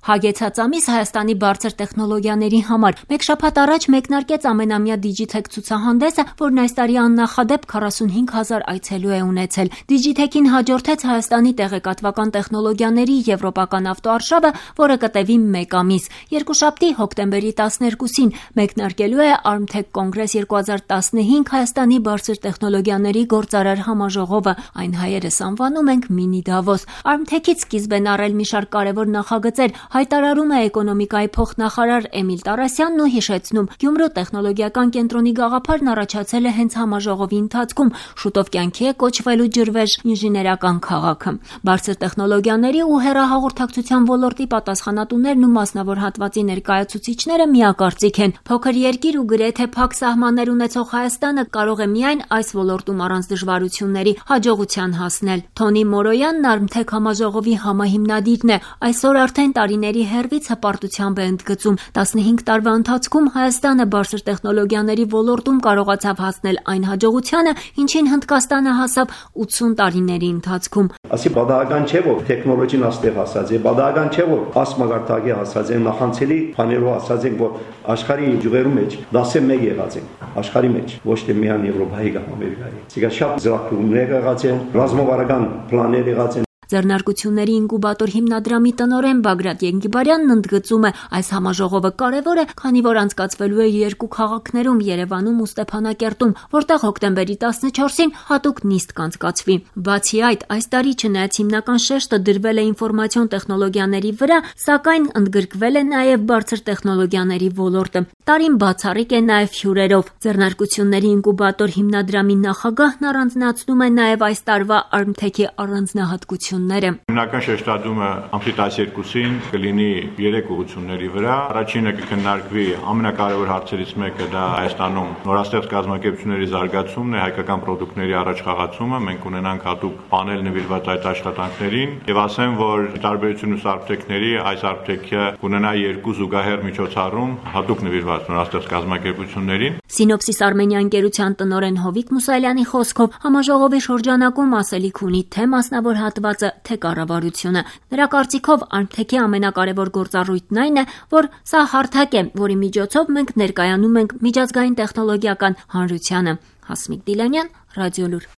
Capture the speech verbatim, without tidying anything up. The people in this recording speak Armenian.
Հագեցած ամիս Հայաստանի բարձր տեխնոլոգիաների համար։ Մեկ շաբաթ առաջ մեկնարկեց ամենամյա Digitech ցուցահանդեսը, որն այս տարի աննախադեպ քառասունհինգ հազար այցելու է ունեցել։ Digitech-ին հաջորդեց Հայաստանի տեղեկատվական տեխնոլոգիաների եվրոպական ավտոարշավը, որը կտևի մեկ ամիս։ Երկուշաբթի հոկտեմբերի տասներկուսին մեկնարկելու է Armtech Congress երկու հազար տասնհինգ Հայաստանի բարձր տեխնոլոգիաների գործարար համաժողովը, այն հայերս անվանում ենք Mini Davos։ Armtech-ից սկիզբ են առել մի շարք կարևոր նախագծեր, հայտարարում է էկոնոմիկայի փոխնախարար Էմիլ Տարասյանն ու հիշեցնում, Գյումրու տեխնոլոգիական կենտրոնի գաղափարն առաջացել է հենց համաժողովի ընթացքում, շուտով կյանքի է կոչվելու ջրվեժ ինժեներական քաղաքը։ Բարձր տեխնոլոգիաների ու հեռահաղորդակցության ոլորտի պատասխանատուներն ու մասնավոր հատվածի ներկայացուցիչները միակարծիք են։ Փոքր երկիր ու գրեթե փակ սահմաններ ունեցող Հայաստանը կարող է միայն այս ոլորտում առանց դժվարությունների հաջողության հասնել։ Թոնի Մորոյանն Armtech համաժողովի համահիմնադիրն է։ Այսօր արդեն տարիների հեռվից հպարտությամբ է ընդգծում. տասնհինգ տարվա ընթացքում Հայաստանը բարձր տեխնոլոգիաների ոլորտում կարողացավ հասնել այն հաջողությանը, ինչին Հնդկաստանը հասավ ութսուն տարիների ընթացքում։ Ասի բադական չէ, որ տեխնոլոգին աստեղ հասած է, բադական չէ, որ ասմագարտագի հասած է, նախանցելի բաներով ասած են, որ աշխարհի ջուղերու մեջ դասը մեկ եղած են, աշխարհի մեջ, ոչ թե միայն Եվրոպայի կամ Ամերիկայի։ Սա շատ զրակումներ եղած են, ռազմավարական պլաններ եղած են։ Ձեռնարկությունների ինկուբատոր հիմնադրամի տնօրեն Բագրատ Ենգիբարյանն ընդգծում է, այս համաժողովը կարևոր է, քանի որ անցկացվելու է երկու քաղաքներում՝ Երևանում ու Ստեփանակերտում, որտեղ հոկտեմբերի տասնչորսին հատուկ նիստ կանցկացվի։ Բացի այդ, այս տարի չնայած հիմնական շեշտը դրվել է ինֆորմացիոն տեխնոլոգիաների վրա, սակայն ընդգրկվել է նաև բարձր տեխնոլոգիաների ոլորտը։ Տարին բացառիկ է նաև հյուրերով։ Ձեռնարկությունների ինկուբատոր հիմնադրամի նախագահն առանձնացնում է նաև այս տարվա Armtech-ի առանձնահատկությունները։ Հիմնական շեշտադրումը ամսի տասներկուսին կլինի երեք ուղղությունների վրա։ Առաջինը կքննարկվի ամենակարևոր հարցերից մեկը դա Հայաստանում նորաստեղծ կազմակերպությունների զարգացումն է, հայկական պրոդուկտների առաջխաղացումը։ Մենք ունենանք հատուկ պանել նվիրված այդ աշխատանքներին եւ ասեմ, որ տարբերություն ուսի Armtech-ների այս Armtech-ը կունենա երկու զուգահեռ միջոցառում հատուկ նվիրված նորաստեղծ կազմակերպություններին։ Սինոպսիս Արմենիա ընկերության տնօրեն Հովիկ Մուսալյանի խոսքով համաժողովի շրջանակում ասելիք ունի թե մասնավոր հատվածը, թե կառավարությունը։ Նրա կարծիքով Armtech-ի ամենակարևոր գործառույթն այն է, որ սա հարթակ է, որի միջոցով մենք ներկայանում ենք միջազգային տեխնոլոգիական հանրությանը։ Հասմիկ Դիլանյան, Ռադիոլուր։